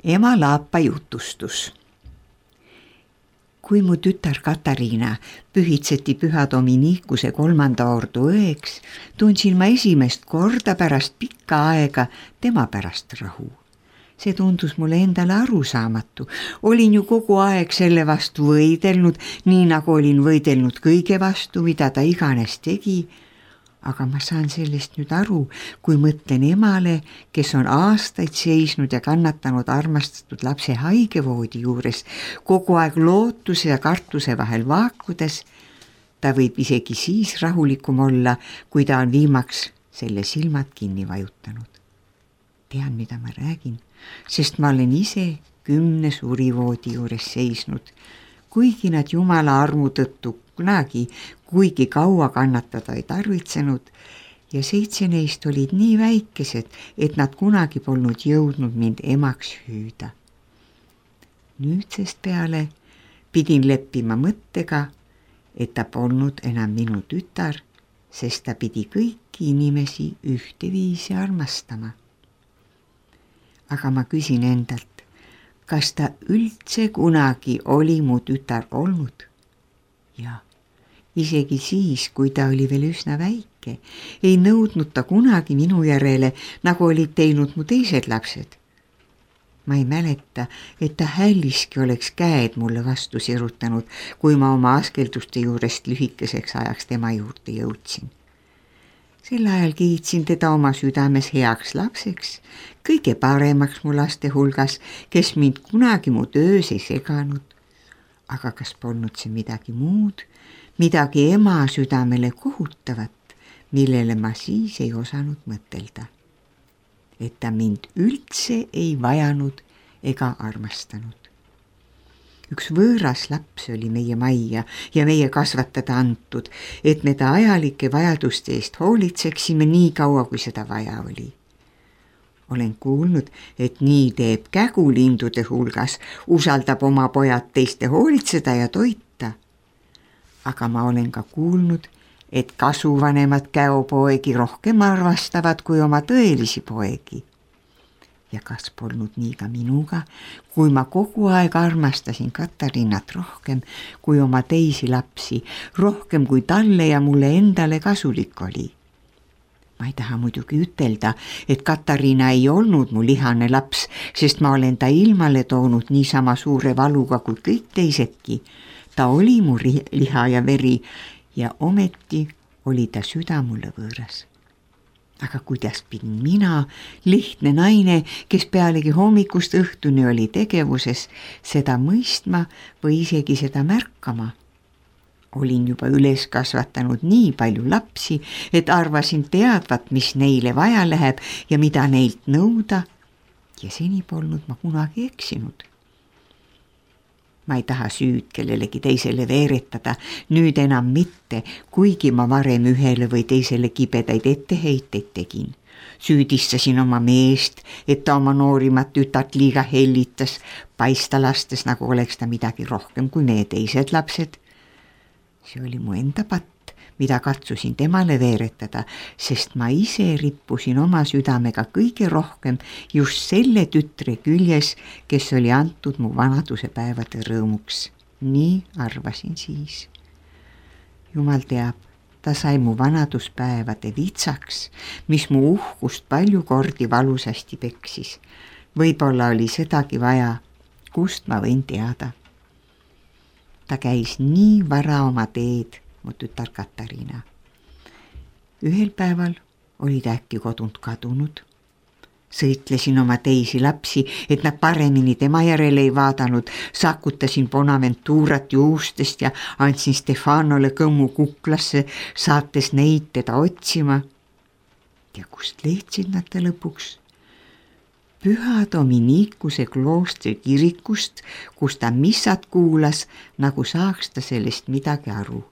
Ema Laapa jutustus. Kui mu tütar Katariina pühitseti Püha Dominikuse 3. ordu õeks, tundsin ma esimest korda pärast pikka aega tema pärast rahu. See tundus mulle endale arusaamatu. Olin ju kogu aeg selle vastu võidelnud, nii nagu olin võidelnud kõige vastu, mida ta iganes tegi. Aga ma saan sellest nüüd aru, kui mõtlen emale, kes on aastaid seisnud ja kannatanud armastatud lapse haigevoodi juures, kogu aeg lootuse ja kartuse vahel vaakudes. Ta võib isegi siis rahulikum olla, kui ta on viimaks selle silmad kinni vajutanud. Tean, mida ma räägin, sest ma olen ise 10 surivoodi juures seisnud, kuigi nad Jumala armu tõttu kunagi kuigi kaua kannatada ei tarvitsenud ja 7 neist olid nii väikesed, et nad kunagi polnud jõudnud mind emaks hüüda. Nüüdsest peale pidin leppima mõttega, et ta polnud enam minu tütar, sest ta pidi kõiki inimesi ühteviisi armastama. Aga ma küsin endalt, kas ta üldse kunagi oli mu tütar olnud? Ja isegi siis, kui ta oli veel üsna väike, ei nõudnud ta kunagi minu järele, nagu olid teinud mu teised lapsed. Ma ei mäleta, et ta hälliski oleks käed mulle vastu sirutanud, kui ma oma askelduste juurest lühikeseks ajaks tema juurde jõudsin. Sel ajal kiitsin teda oma südames heaks lapseks, kõige paremaks mu laste hulgas, kes mind kunagi mu töös ei seganud. Aga kas polnud see midagi muud, midagi ema südamele kohutavat, millele ma siis ei osanud mõtelda. Et ta mind üldse ei vajanud ega armastanud. Üks võõras laps oli meie majja ja meie kasvatada antud, et me ta ajalike vajaduste eest hoolitseksime nii kaua, kui seda vaja oli. Olen kuulnud, et nii teeb kägulindude hulgas, usaldab oma pojad teiste hoolitseda ja toita. Aga ma olen ka kuulnud, et kasuvanemad käopoegi rohkem arvastavad kui oma tõelisi poegi. Ja kas polnud nii ka minuga, kui ma kogu aeg armastasin Katariinat rohkem kui oma teisi lapsi, rohkem kui talle ja mulle endale kasulik oli. Ma ei taha muidugi ütelda, et Katariina ei olnud mu lihane laps, sest ma olen ta ilmale toonud niisama suure valuga kui kõik teisedki. Ta oli mu liha ja veri ja ometi oli ta süda mulle võõras. Aga kuidas pidin mina, lihtne naine, kes pealegi hommikust õhtuni oli tegevuses, seda mõistma või isegi seda märkama? Olin juba üles kasvatanud nii palju lapsi, et arvasin teadvat, mis neile vaja läheb ja mida neilt nõuda, ja seni polnud ma kunagi eksinud. Ma ei taha süüd kellelegi teisele veeretada, nüüd enam mitte, kuigi ma varem ühele või teisele kibedaid etteheiteid tegin. Süüdistasin oma meest, et ta oma noorimat tütart liiga hellitas, paista lastes, nagu oleks ta midagi rohkem kui meie teised lapsed. See oli mu enda patt, mida katsusin temale veeretada, sest ma ise rippusin oma südamega kõige rohkem just selle tütre küljes, kes oli antud mu vanaduse päevade rõõmuks. Nii arvasin siis. Jumal teab, ta sai mu vanaduspäevade vitsaks, mis mu uhkust palju kordi valusasti peksis. Võib-olla oli sedagi vaja, kust ma võin teada. Ta käis nii vara oma teed, mu tütar Katariina. Ühel päeval oli ta äkki kodunt kadunud. Sõitlesin oma teisi lapsi, et nad paremini tema järele ei vaadanud, sakutasin Bonaventurat juustest ja andsin Stefanole kõmmu kuklasse, saates neid teda otsima. Ja kust leidsid nad ta lõpuks? Püha Dominikuse kloostri kirikust, kus ta missat kuulas, nagu saaks ta sellest midagi aru.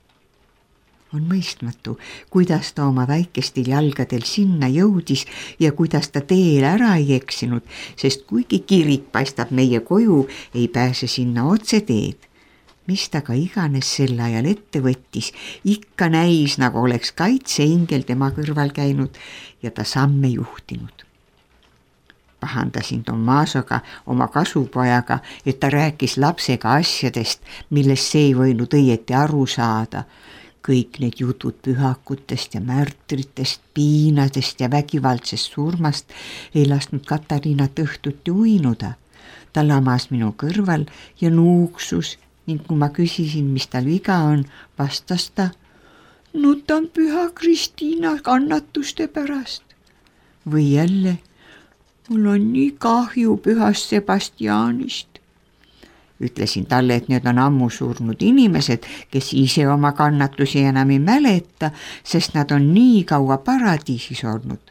On mõistmatu, kuidas ta oma väikestel jalgadel sinna jõudis ja kuidas ta teel ära ei eksinud, sest kuigi kirik paistab meie koju, ei pääse sinna otse teed. Mis ta ka iganes sel ajal ette võttis, ikka näis, nagu oleks kaitseingel tema kõrval käinud ja ta samme juhtinud. pahandasin Tommasoga, oma kasupojaga, et ta rääkis lapsega asjadest, millest see ei võinud õieti aru saada. Kõik need jutud pühakutest ja märtritest, piinadest ja vägivaldsest surmast ei lasknud Katariinat õhtuti uinuda. Ta lamas minu kõrval ja nuuksus ning kui ma küsisin, mis tal viga on, vastas ta: nutan püha Kristiina kannatuste pärast. Või jälle: mul on nii kahju pühast Sebastianist. Ütlesin talle, et need on ammu surnud inimesed, kes ise oma kannatusi enam ei mäleta, sest nad on nii kaua paradiisis olnud.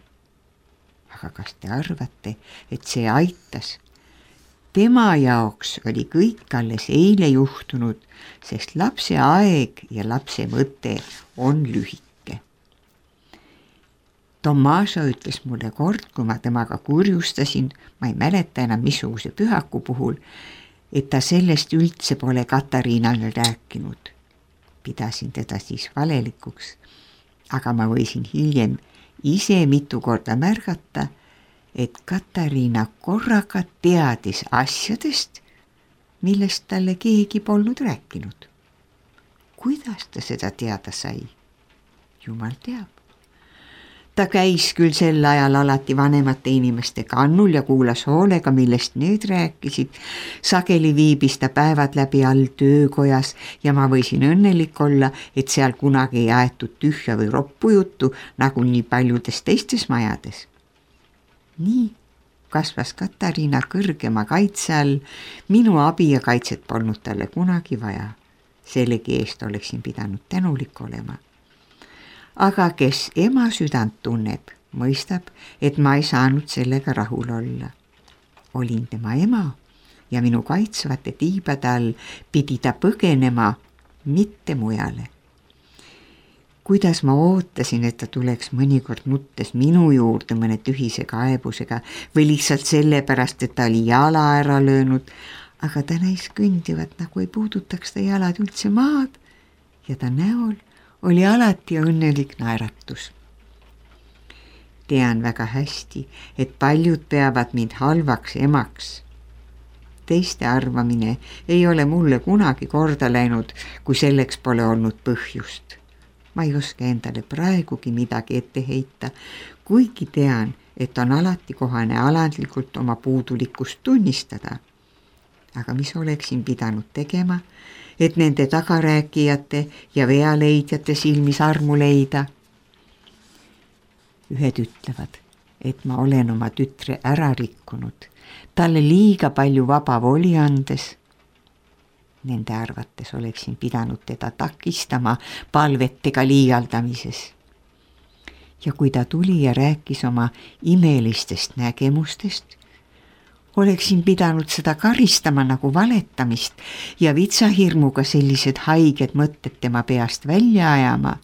Aga kas te arvate, et see aitas? Tema jaoks oli kõik alles eile juhtunud, sest lapse aeg ja lapse mõte on lühike. Tommaso ütles mulle kord, kui ma temaga kurjustasin, ma ei mäleta enam missuguse pühaku puhul, et ta sellest üldse pole Katariinale rääkinud. Pidasin teda siis valelikuks, aga ma võisin hiljem ise mitu korda märgata, et Katariina korraga teadis asjadest, millest talle keegi polnud rääkinud. Kuidas ta seda teada sai? Jumal teab. Ta käis küll sel ajal alati vanemate inimeste kannul ja kuulas hoolega, millest need rääkisid. Sageli viibis ta päevad läbi all töökojas ja ma võisin õnnelik olla, et seal kunagi ei aetud tühja või roppu juttu, nagu nii paljudes teistes majades. Nii kasvas Katariina kõrgema kaitse all, minu abi ja kaitset polnud talle kunagi vaja. Sellegi eest oleksin pidanud tänulik olema. Aga kes ema südant tunneb, mõistab, et ma ei saanud sellega rahul olla. Olin tema ema ja minu kaitsvate tiibade all pidi ta põgenema, mitte mujale. Kuidas ma ootasin, et ta tuleks mõnikord nuttes minu juurde mõne tühise kaebusega või lihtsalt sellepärast, et ta oli jala ära löönud, aga ta näis kõndivat, nagu ei puudutaks ta jalad üldse maad ja ta näol oli alati õnnelik naeratus. Tean väga hästi, et paljud peavad mind halvaks emaks. Teiste arvamine ei ole mulle kunagi korda läinud, kui selleks pole olnud põhjust. Ma ei oska endale praegugi midagi ette heita, kuigi tean, et on alati kohane alandlikult oma puudulikkust tunnistada. Aga mis oleksin pidanud tegema, et nende tagarääkijate ja vealeidjate silmis armu leida? Ühed ütlevad, et ma olen oma tütre ära rikkunud, talle liiga palju vaba voli andes. Nende arvates oleksin pidanud teda takistama palvetega liialdamises. Ja kui ta tuli ja rääkis oma imelistest nägemustest, oleksin pidanud seda karistama nagu valetamist ja vitsahirmuga sellised haiged mõtted tema peast välja ajama.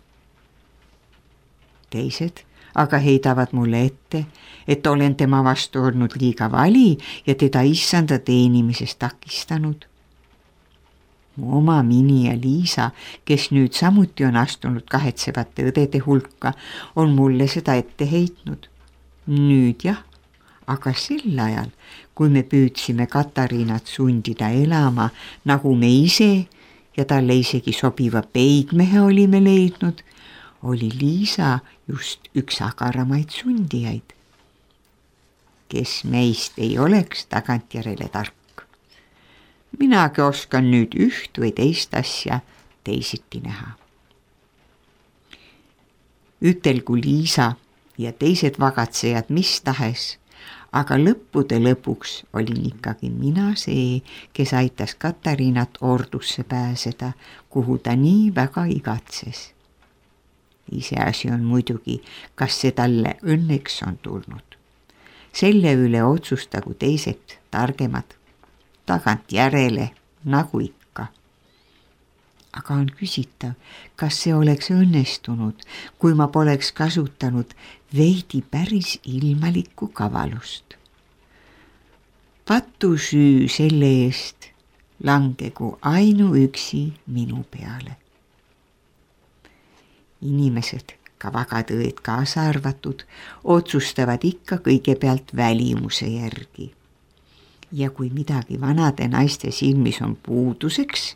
Teised aga heidavad mulle ette, et olen tema vastu olnud liiga vali ja teda issanda teenimisest takistanud. Mu oma Mini ja Liisa, kes nüüd samuti on astunud kahetsevate õdede hulka, on mulle seda ette heitnud. Nüüd jah, aga sel ajal, kui me püüdsime Katariinat sundida elama, nagu me ise ja talle isegi sobiva peigmehe olime leidnud, oli Liisa just üks agaramaid sundijaid. Kes meist ei oleks tagantjärele tark? Minagi oskan nüüd üht või teist asja teisiti näha. Ütelgu Liisa ja teised vagatsejad mis tahes, aga lõppude lõpuks olin ikkagi mina see, kes aitas Katariinat ordusse pääseda, kuhu ta nii väga igatses. Iseasi on muidugi, kas see talle õnneks on tulnud. Selle üle otsustagu teised targemad, tagantjärele nagu ikka. Aga on küsitav, kas see oleks õnnestunud, kui ma poleks kasutanud veidi päris ilmalikku kavalust. Patusüü selle eest langegu ainuüksi minu peale. Inimesed ka vagatõed kaasa arvatud, otsustavad ikka kõigepealt välimuse järgi. Ja kui midagi vanade naiste silmis on puuduseks,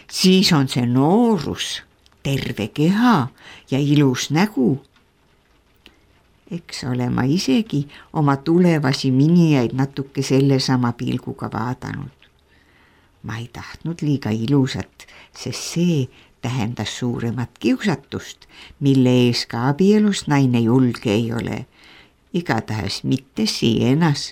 siis on see noorus, terve keha ja ilus nägu. Eks ole ma isegi oma tulevasi minijaid natuke sellesama pilguga vaadanud. Ma ei tahtnud liiga ilusat, sest see tähendas suuremat kiusatust, mille ees ka abielus naine julge ei ole. Igatahes mitte sienas.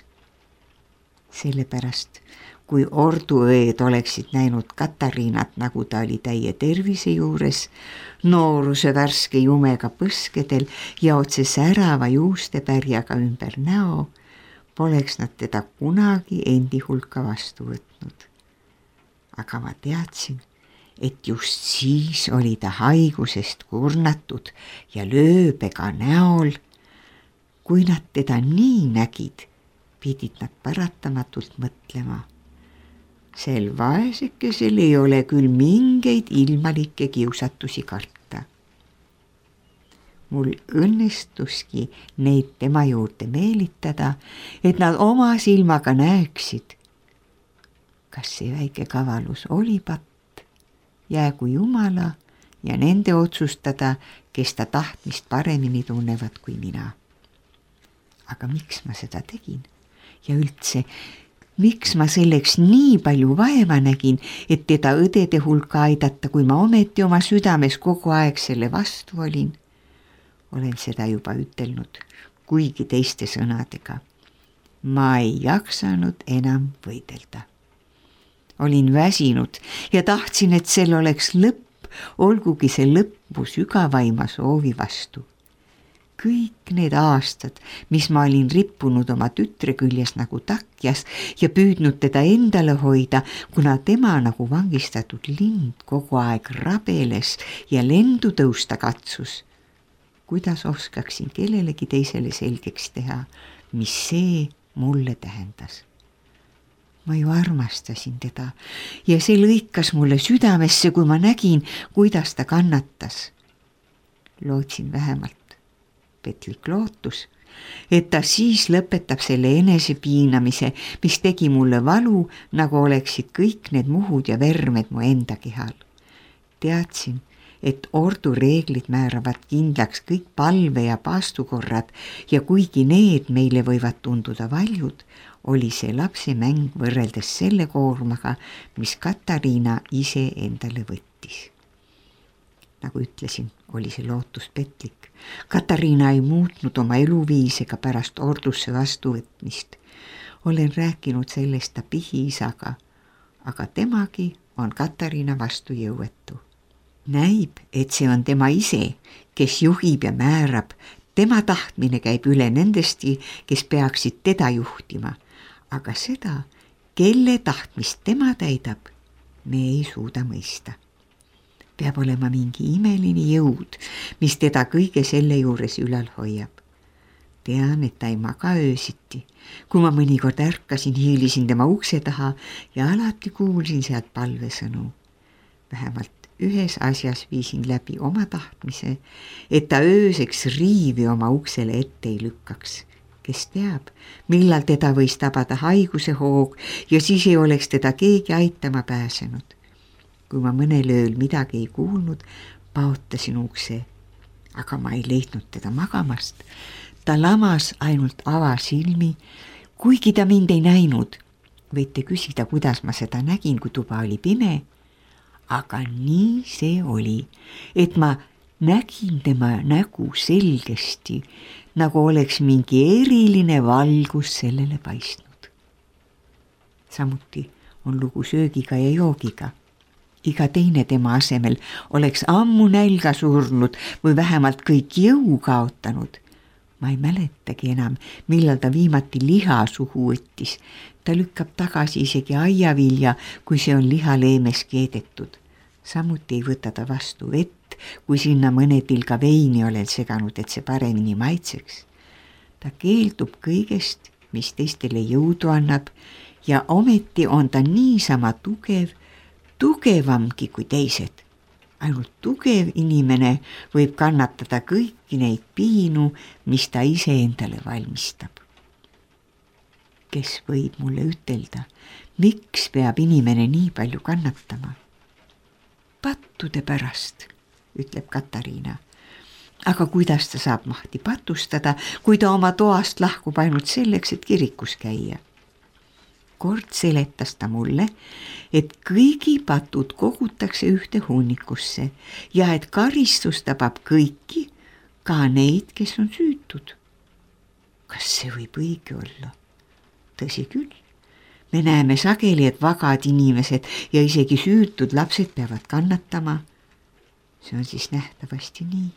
Sellepärast, kui orduõed oleksid näinud Katariinat, nagu ta oli täie tervise juures, nooruse värske jumega põskedel ja otse särava juustepärjaga ümber näo, poleks nad teda kunagi endi hulka vastu võtnud. Aga ma teadsin, et just siis oli ta haigusest kurnatud ja lööbega näol. Kui nad teda nii nägid, pidid nad paratamatult mõtlema. Sel vaesekesel ei ole küll mingeid ilmalikke kiusatusi karta. Mul õnnestuski neid tema juurde meelitada, et nad oma silmaga näeksid. Kas see väike kavalus oli patt, jäägu Jumala ja nende otsustada, kes ta tahtmist paremini tunnevad kui mina. Aga miks ma seda tegin? Ja üldse, miks ma selleks nii palju vaeva nägin, et teda õdede hulka aidata, kui ma ometi oma südames kogu aeg selle vastu olin? Olen seda juba ütelnud, kuigi teiste sõnadega. Ma ei jaksanud enam võidelda. Olin väsinud ja tahtsin, et sel oleks lõpp, olgugi see lõppu sügavaima soovi vastu. Kõik need aastad, mis ma olin rippunud oma tütre küljes nagu takjas ja püüdnud teda endale hoida, kuna tema nagu vangistatud lind kogu aeg rabeles ja lendu tõusta katsus. Kuidas oskaksin kellelegi teisele selgeks teha, mis see mulle tähendas? Ma ju armastasin teda ja see lõikas mulle südamesse, kui ma nägin, kuidas ta kannatas. Lootsin vähemalt, petlik lootus, et ta siis lõpetab selle enesepiinamise, mis tegi mulle valu, nagu oleksid kõik need muhud ja vermed mu enda kehal. Teadsin, et ordu reeglid määravad kindlaks kõik palve ja paastukorrad ja kuigi need meile võivad tunduda valjud, oli see lapse mäng võrreldes selle koormaga, mis Katariina ise endale võttis. Nagu ütlesin, oli see lootus petlik. Katariina ei muutnud oma eluviisega pärast ordusse vastuvõtmist. Olen rääkinud sellest ta pihiisaga, aga temagi on Katariina vastu jõuetu. Näib, et see on tema ise, kes juhib ja määrab. Tema tahtmine käib üle nendesti, kes peaksid teda juhtima. Aga seda, kelle tahtmist tema täidab, me ei suuda mõista. Peab olema mingi imeline jõud, mis teda kõige selle juures ülal hoiab. Tean, et ta ei maga öösiti. Kui ma mõnikord ärkasin, hiilisin tema ukse taha ja alati kuulsin sealt palvesõnu. Vähemalt ühes asjas viisin läbi oma tahtmise, et ta ööseks riivi oma uksele ette ei lükkaks. Kes teab, millal teda võis tabada haiguse hoog ja siis ei oleks teda keegi aitama pääsenud. Kui ma mõnel ööl midagi ei kuulnud, paotasin ukse, aga ma ei leidnud teda magamast. Ta lamas ainult avasilmi, kuigi ta mind ei näinud. Võite küsida, kuidas ma seda nägin, kui tuba oli pime. Aga nii see oli, et ma nägin tema nägu selgesti, nagu oleks mingi eriline valgus sellele paistnud. Samuti on lugu söögiga ja joogiga. Iga teine tema asemel oleks ammu nälga surnud või vähemalt kõik jõu kaotanud. Ma ei mäletagi enam, millal ta viimati liha suhu võttis. Ta lükkab tagasi isegi aiavilja, kui see on lihaleemes keedetud. Samuti ei võta ta vastu vett, kui sinna mõne tilga veini olen seganud, et see paremini maitseks. Ta keeldub kõigest, mis teistele jõudu annab ja ometi on ta niisama tugev, tugevamgi kui teised. ainult tugev inimene võib kannatada kõiki neid piinu, mis ta ise endale valmistab. Kes võib mulle ütelda, miks peab inimene nii palju kannatama? Pattude pärast, ütleb Katariina. Aga kuidas ta saab mahti patustada, kui ta oma toast lahkub ainult selleks, et kirikus käia? Kord seletas ta mulle, et kõigi patud kogutakse ühte hunnikusse ja et karistus tabab kõiki, ka neid, kes on süütud. Kas see võib õige olla? Tõsi küll. Me näeme sageli, et vagad inimesed ja isegi süütud lapsed peavad kannatama. See on siis nähtavasti nii.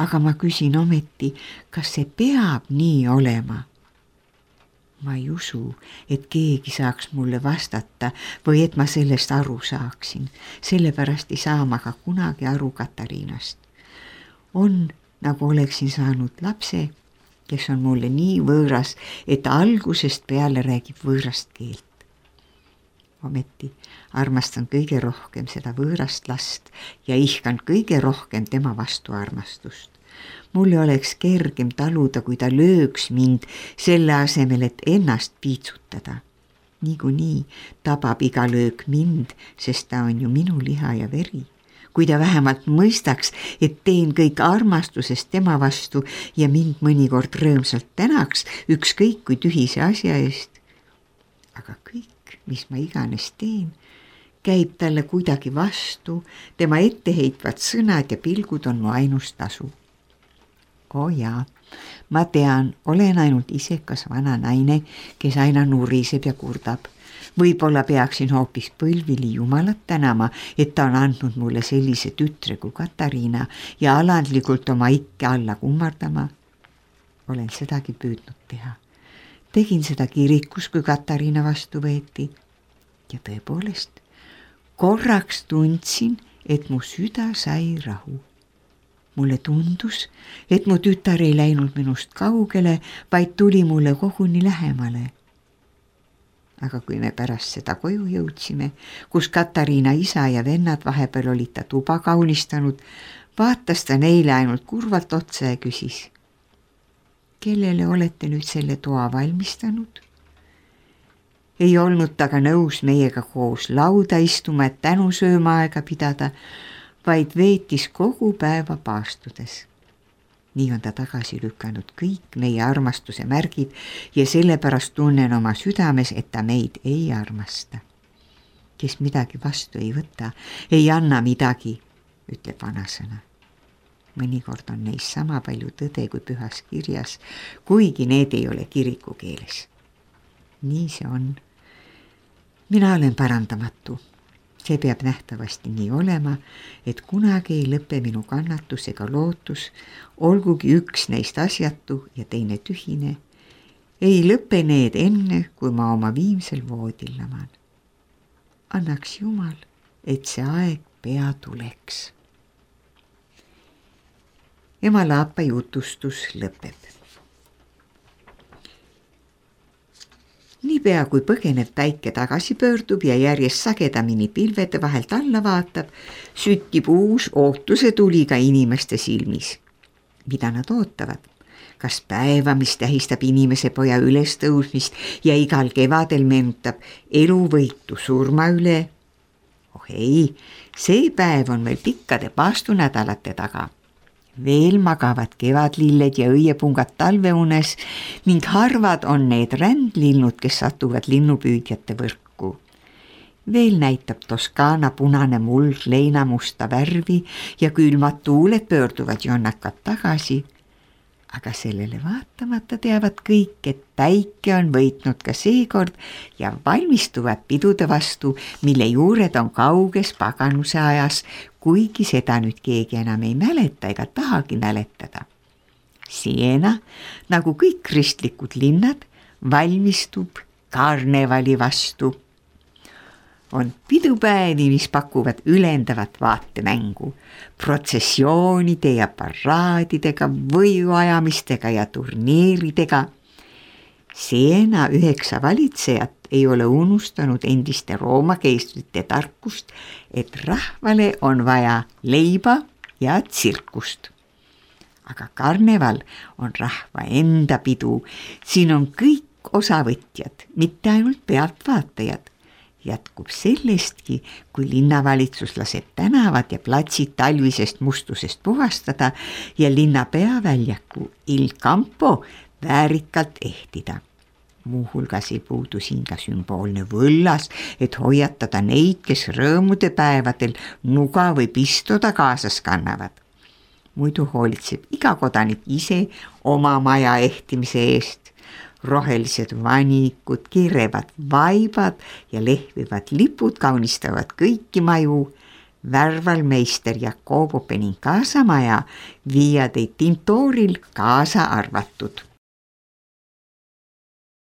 Aga ma küsin ometi, kas see peab nii olema? Ma ei usu, et keegi saaks mulle vastata või et ma sellest aru saaksin. Sellepärast ei saa ma ka kunagi aru Katariinast. On, nagu oleksin saanud lapse, kes on mulle nii võõras, et ta algusest peale räägib võõrast keelt. Ometi armastan kõige rohkem seda võõrast last ja ihkan kõige rohkem tema vastu armastust. Mulle oleks kergem taluda, kui ta lööks mind selle asemel, et ennast piitsutada. Niikuinii tabab iga löök mind, sest ta on ju minu liha ja veri. Kui ta vähemalt mõistaks, et teen kõik armastusest tema vastu ja mind mõnikord rõõmsalt tänaks, ükskõik kui tühise asja eest. Aga kõik, mis ma iganes teen, käib talle kuidagi vastu, tema etteheitvad sõnad ja pilgud on mu ainus tasu. Jaa, ma tean, olen ainult isekas vana naine, kes aina nuriseb ja kurdab. Võib-olla peaksin hoopis põlvili Jumalat tänama, et ta on andnud mulle sellise tütre kui Katariina ja alandlikult oma ikke alla kummardama. Olen sedagi püüdnud teha. Tegin seda kirikus, kui Katariina vastu võeti. Ja tõepoolest, korraks tundsin, et mu süda sai rahu. Mulle tundus, et mu tütar ei läinud minust kaugele, vaid tuli mulle koguni lähemale. Aga kui me pärast seda koju jõudsime, kus Katariina isa ja vennad vahepeal olid ta tuba kaunistanud, vaatas ta neile ainult kurvalt otsa ja küsis. Kellele olete nüüd selle toa valmistanud? Ei olnud ta ka nõus meiega koos lauda istuma, et tänusööma aega pidada, vaid veetis kogu päeva paastudes. Nii on ta tagasi lükanud kõik meie armastuse märgid ja sellepärast tunnen oma südames, et ta meid ei armasta. Kes midagi vastu ei võta, ei anna midagi, ütleb vanasõna. Mõnikord on neis sama palju tõde kui pühas kirjas, kuigi need ei ole kiriku keeles. Nii see on. Mina olen parandamatu. See peab nähtavasti nii olema, et kunagi ei lõpe minu kannatus ega lootus, olgugi üks neist asjatu ja teine tühine. Ei lõpe need enne, kui ma oma viimsel voodil laman. Annaks Jumal, et see aeg pea tuleks. Ema Laapa jutustus lõpeb. Niipea kui põgenev päike tagasi pöördub ja järjest sagedamini pilvede vahelt alla vaatab, süttib uus ootuse tuli ka inimeste silmis. Mida nad ootavad? Kas päeva, mis tähistab inimese poja ülestõusmist ja igal kevadel meenutab eluvõitu surma üle? Oh ei, see päev on veel pikkade paastunädalate taga. Veel magavad kevadlilled ja õiepungad talveunes ning harvad on need rändlinnud, kes satuvad linnupüüdjate võrku. Veel näitab Toskaana punane muld leinamusta värvi ja külmad tuuled pöörduvad jonnakad tagasi. Aga sellele vaatamata teavad kõik, et päike on võitnud ka seekord ja valmistuvad pidude vastu, mille juured on kauges paganuse ajas, kuigi seda nüüd keegi enam ei mäleta ega tahagi mäletada. Siena, nagu kõik kristlikud linnad, valmistub karnevali vastu. On pidupäevi, mis pakuvad ülendavat vaatemängu, protsessioonide ja paraadidega, võiuajamistega ja turniiridega. Siena 9 valitsejat ei ole unustanud endiste Rooma keistrite tarkust, et rahvale on vaja leiba ja tsirkust. Aga karneval on rahva enda pidu, siin on kõik osavõtjad, mitte ainult pealtvaatajad. Jätkub sellestki, kui linnavalitsus laseb tänavad ja platsid talvisest mustusest puhastada ja linna peaväljaku Il Campo väärikalt ehtida. Muuhulgas ei puudu siin ka sümboolne võllas, et hoiatada neid, kes rõõmude päevadel nuga või pistoda kaasas kannavad. Muidu hoolitseb iga kodanik ise oma maja ehtimise eest. Rohelised vanikud, kirevad vaibad ja lehvivad lipud kaunistavad kõiki maju. Värvalmeister Jacobo Benincasa maja Via dei Tintoril kaasa arvatud.